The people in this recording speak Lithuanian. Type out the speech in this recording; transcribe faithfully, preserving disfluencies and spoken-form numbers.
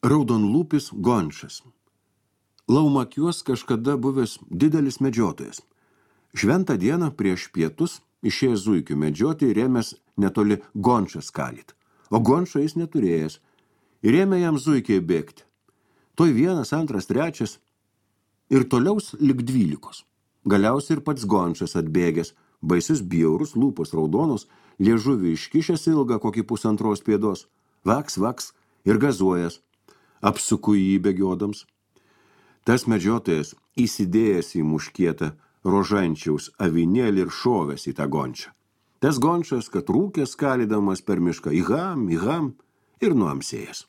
Raudonlūpis gončas. Laumakiuos kažkada buvęs didelis medžiotojas. Šventą dieną prieš pietus išėjęs zuikių medžioti ir ėmęs netoli gončas kalyt. O gončo jis neturėjęs. Ir ėmė jam zuikiai bėgti. Toj vienas, antras, trečias ir toliaus lik dvylikos. Galiausiai ir pats gončas atbėgęs, baisus bjaurus, lūpos raudonos, liežuvį iškišęs ilgą kokį pusantros pėdos, vaks, vaks ir gazuojas, apsuku jį bėgiodams. Tas medžiotojas įsidėjęs į muškietą rožančiaus avinėlį ir šovęs į tą gončią. Tas gončas, kad rūkęs skalydamas per mišką, įham, įham ir nuamsėjęs.